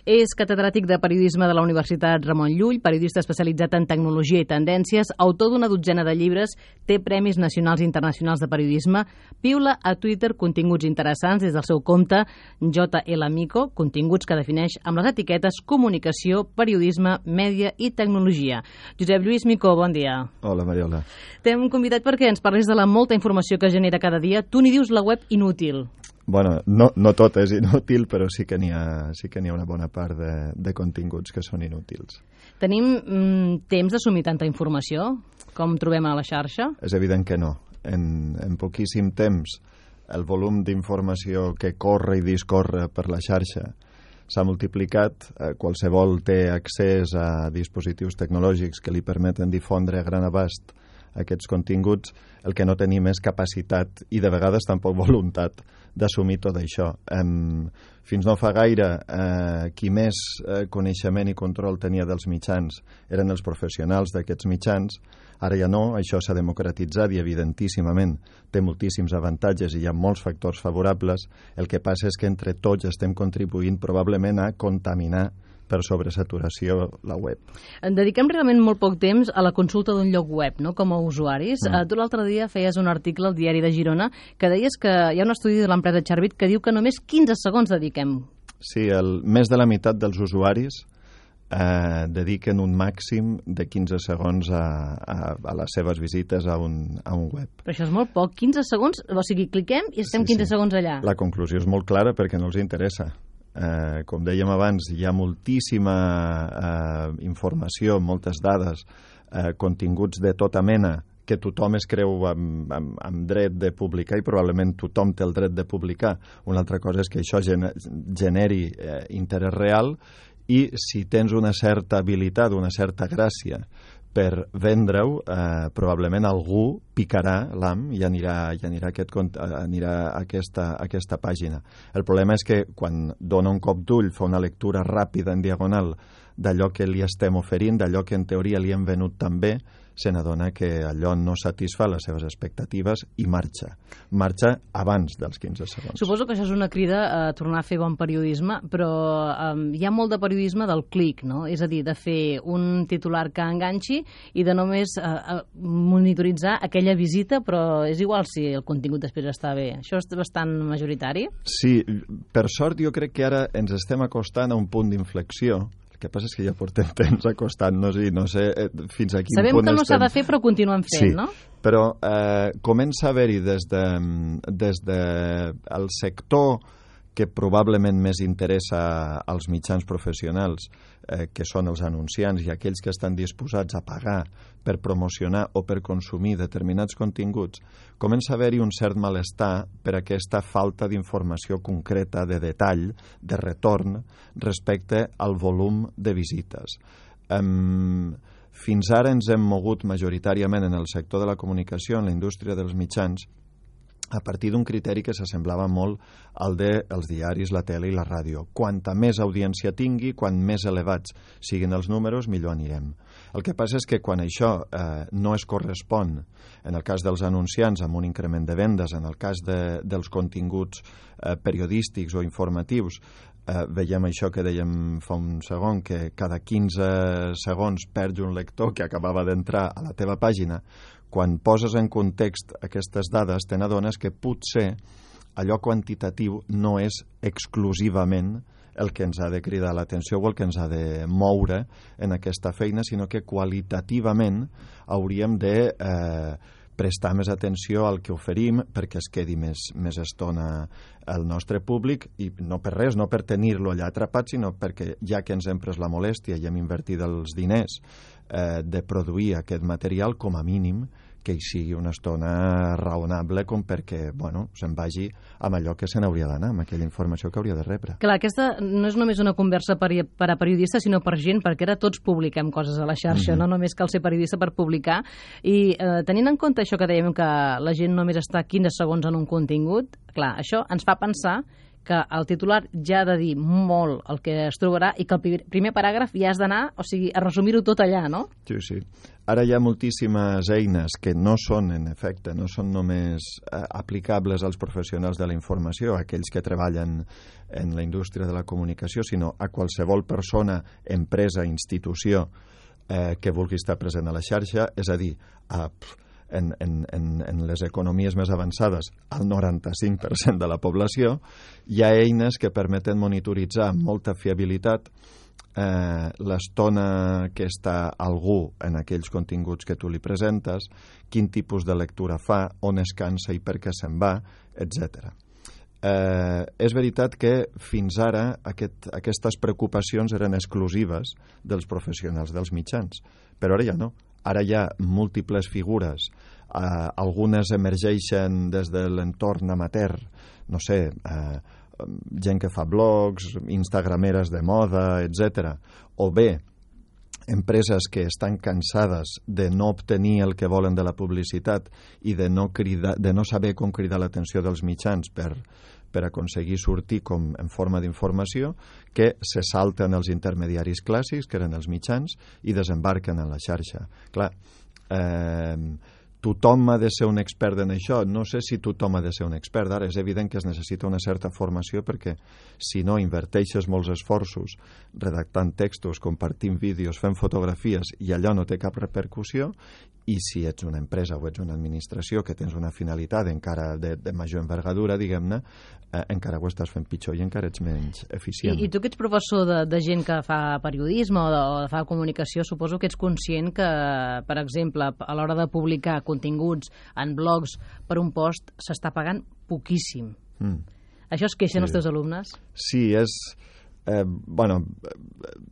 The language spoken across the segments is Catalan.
És catedràtic de periodisme de la Universitat Ramon Llull, periodista especialitzat en tecnologia i tendències, autor d'una dotzena de llibres, té premis nacionals i internacionals de periodisme, piula a Twitter continguts interessants des del seu compte JL Mico, continguts que defineix amb les etiquetes comunicació, periodisme, mèdia i tecnologia. Josep Lluís Mico, bon dia. Hola, Mariola. T'hem convidat perquè ens parlis de la molta informació que genera cada dia. Tu n'hi dius la web inútil. Bueno, no tot és inútil, però sí que n'hi ha una bona part de continguts que són inútils. Tenim temps d'assumir tanta informació com trobem a la xarxa? És evident que no. En poquíssim temps, el volum d'informació que corre i discorre per la xarxa s'ha multiplicat. Qualsevol té accés a dispositius tecnològics que li permeten difondre a gran abast aquests continguts. El que no tenim és capacitat i de vegades tampoc voluntat d'assumir tot això. Fins no fa gaire, qui més coneixement i control tenia dels mitjans eren els professionals d'aquests mitjans. Ara ja no, això s'ha democratitzat i evidentíssimament té moltíssims avantatges i hi ha molts factors favorables. El que passa és que entre tots estem contribuint probablement a contaminar per sobresaturació la web. Dediquem realment molt poc temps a la consulta d'un lloc web, no?, com a usuaris. Tu l'altre dia feies un article al Diari de Girona que deies que hi ha un estudi de l'empresa Charbit que diu que només 15 segons dediquem. Sí, més de la meitat dels usuaris dediquen un màxim de 15 segons a les seves visites a un web. Però això és molt poc, 15 segons, o sigui, cliquem i estem 15 segons allà. La conclusió és molt clara perquè no els interessa. Com dèiem abans, hi ha moltíssima informació, moltes dades, continguts de tota mena que tothom es creu amb dret de publicar i probablement tothom té el dret de publicar. Una altra cosa és que això generi interès real i si tens una certa habilitat, una certa gràcia per vendre-ho, probablement algú picarà l'ham i anirà a aquesta pàgina. El problema és que quan dona un cop d'ull, fa una lectura ràpida en diagonal d'allò que li estem oferint, d'allò que en teoria li hem venut també, se n'adona que allò no satisfà les seves expectatives i marxa abans dels 15 segons. Suposo que això és una crida a tornar a fer bon periodisme, però hi ha molt de periodisme del clic, no? És a dir, de fer un titular que enganxi i de només monitoritzar aquella visita, però és igual si el contingut després està bé. Això és bastant majoritari? Sí, per sort jo crec que ara ens estem acostant a un punt d'inflexió. El que passa és que ja portem temps acostant-nos i no sé fins a quin Sabem punt que no s'ha de fer, però continuem fent, no? Però comença a haver-hi des del sector que probablement més interessa als mitjans professionals, que són els anunciants i aquells que estan disposats a pagar per promocionar o per consumir determinats continguts, comença a haver-hi un cert malestar per aquesta falta d'informació concreta, de detall, de retorn respecte al volum de visites. Fins ara ens hem mogut majoritàriament en el sector de la comunicació, en la indústria dels mitjans, a partir d'un criteri que s'assemblava molt al dels diaris, la tele i la ràdio. Quanta més audiència tingui, quan més elevats siguin els números, millor anirem. El que passa és que quan això no es correspon, en el cas dels anunciants, amb un increment de vendes, en el cas dels continguts periodístics o informatius, veiem això que dèiem fa un segon, que cada 15 segons perds un lector que acabava d'entrar a la teva pàgina. Quan poses en context aquestes dades, te n'adones que potser allò quantitatiu no és exclusivament el que ens ha de cridar l'atenció o el que ens ha de moure en aquesta feina, sinó que qualitativament hauríem de prestar més atenció al que oferim perquè es quedi més estona el nostre públic, i no per res, no per tenir-lo allà atrapat, sinó perquè ja que ens hem pres la molèstia i hem invertit els diners de produir aquest material, com a mínim que hi sigui una estona raonable com perquè se'n vagi amb allò que se n'hauria d'anar, amb aquella informació que hauria de rebre. Clar, aquesta no és només una conversa per a periodistes, sinó per gent, perquè ara tots publiquem coses a la xarxa, no només cal ser periodista per publicar. I tenint en compte això que dèiem, que la gent només està 15 segons en un contingut, clar, això ens fa pensar que el titular ja ha de dir molt el que es trobarà i que el primer paràgraf ja has d'anar, o sigui, a resumir-ho tot allà, no? Sí, sí. Ara hi ha moltíssimes eines que no són, en efecte, no són només aplicables als professionals de la informació, aquells que treballen en la indústria de la comunicació, sinó a qualsevol persona, empresa, institució que vulgui estar present a la xarxa, és a dir, en les economies més avançades, el 95% de la població, hi ha eines que permeten monitoritzar amb molta fiabilitat l'estona que està algú en aquells continguts que tu li presentes, quin tipus de lectura fa, on es cansa i per què se'n va, etc. És veritat que fins ara aquestes preocupacions eren exclusives dels professionals dels mitjans, però ara ja no. Ara hi ha múltiples figures, algunes emergeixen des de l'entorn amateur, no sé, gent que fa blogs, instagrameres de moda, etc. O bé, empreses que estan cansades de no obtenir el que volen de la publicitat i de no saber com cridar l'atenció dels mitjans per aconseguir sortir com en forma d'informació, que se salten els intermediaris clàssics, que eren els mitjans, i desembarquen en la xarxa. Clar, tothom ha de ser un expert en això. No sé si tothom ha de ser un expert. Ara és evident que es necessita una certa formació perquè si no inverteixes molts esforços redactant textos, compartint vídeos, fent fotografies i allò no té cap repercussió, i si ets una empresa o ets una administració que tens una finalitat encara de major envergadura, diguem-ne, encara ho estàs fent pitjor i encara ets menys eficient. I tu que ets professor de gent que fa periodisme o fa comunicació, suposo que ets conscient que, per exemple, a l'hora de publicar continguts en blogs per un post s'està pagant poquíssim. Això es queixen els teus alumnes? Sí,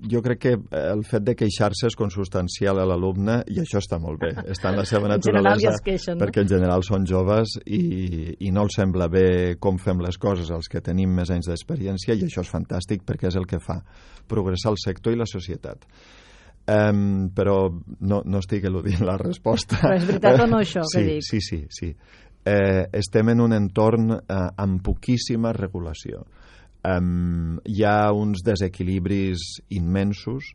jo crec que el fet de queixar-se és consustancial a l'alumne i això està molt bé, està en la seva naturalesa, perquè en general són joves i no els sembla bé com fem les coses als que tenim més anys d'experiència, i això és fantàstic perquè és el que fa progressar el sector i la societat. Però no estic eludint la resposta. Però és veritat o no això que dic? Sí. Estem en un entorn amb poquíssima regulació. Hi ha uns desequilibris immensos.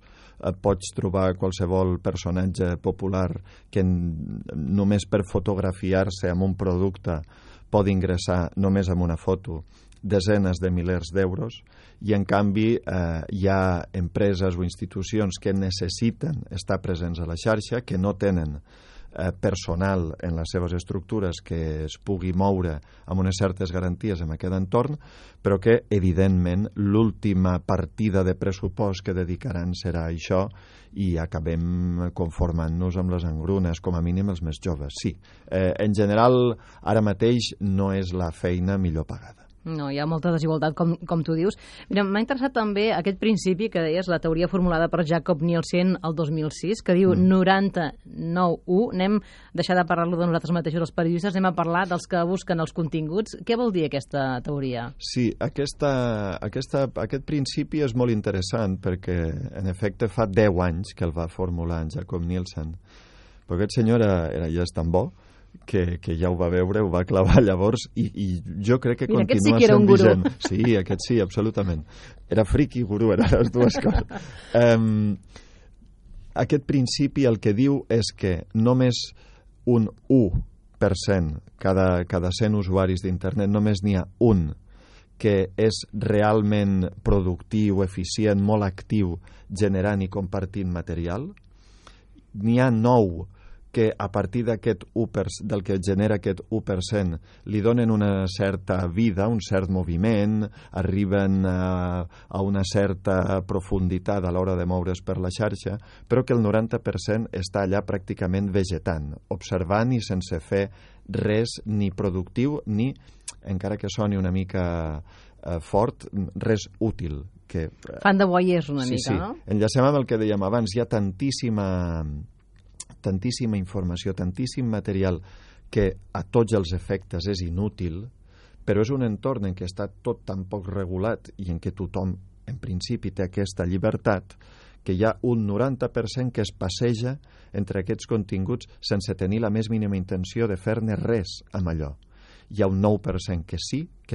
Pots trobar qualsevol personatge popular que només per fotografiar-se amb un producte pot ingressar només amb una foto desenes de milers d'euros, i en canvi hi ha empreses o institucions que necessiten estar presents a la xarxa, que no tenen personal en les seves estructures que es pugui moure amb unes certes garanties en aquest entorn, però que, evidentment, l'última partida de pressupost que dedicaran serà això i acabem conformant-nos amb les engrunes, com a mínim els més joves. Sí, en general, ara mateix no és la feina millor pagada. No, hi ha molta desigualtat, com tu dius. Mira, m'ha interessat també aquest principi que deies, la teoria formulada per Jakob Nielsen el 2006, que diu 99-1. Anem a deixar de parlar-lo de nosaltres mateixos, els periodistes, anem a parlar dels que busquen els continguts. Què vol dir aquesta teoria? Sí, aquest principi és molt interessant perquè, en efecte, fa 10 anys que el va formular en Jakob Nielsen. Però aquest senyor ja és tan bo que ja ho va veure, ho va clavar llavors i jo crec que continua sent vigent. Sí, aquest sí, absolutament. Era friqui i gurú, eren les dues coses. Aquest principi el que diu és que només un 1%, cada 100 usuaris d'internet, només n'hi ha un que és realment productiu, eficient, molt actiu, generant i compartint material. N'hi ha 9 que a partir d'aquest 1%, del que genera aquest 1%, li donen una certa vida, un cert moviment, arriben a una certa profunditat a l'hora de moure's per la xarxa, però que el 90% està allà pràcticament vegetant, observant i sense fer res ni productiu ni, encara que soni una mica fort, res útil. Fan de voyeurs una mica, no? Enllacem amb el que dèiem abans, hi ha tantíssima informació, tantíssim material que a tots els efectes és inútil, però és un entorn en què està tot tan poc regulat i en què tothom, en principi, té aquesta llibertat, que hi ha un 90% que es passeja entre aquests continguts sense tenir la més mínima intenció de fer-ne res amb allò. hi ha un 9% que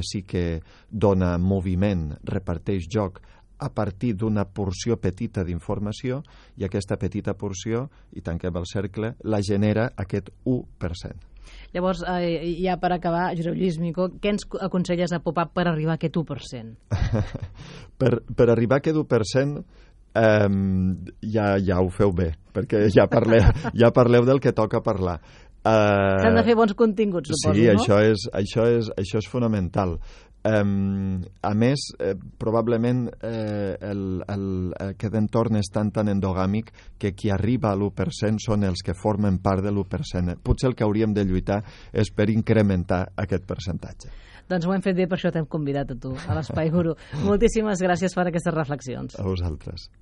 sí que dona moviment, reparteix joc a partir d'una porció petita d'informació, i aquesta petita porció, i tanquem el cercle, la genera aquest 1%. Llavors, ja per acabar, Josep Lluís Micó, què ens aconselles a Pop-up per arribar a aquest 1%? Per arribar a aquest 1%, ja ho feu bé, perquè ja parleu del que toca parlar. S'han de fer bons continguts, suposo, sí, no? Sí, això és fonamental. A més, probablement aquest entorn és tan endogàmic que qui arriba a l'1% són els que formen part de l'1%. Potser el que hauríem de lluitar és per incrementar aquest percentatge. Doncs ho hem fet bé, per això t'hem convidat a tu, a l'Espai Guru. Moltíssimes gràcies per aquestes reflexions. A vosaltres.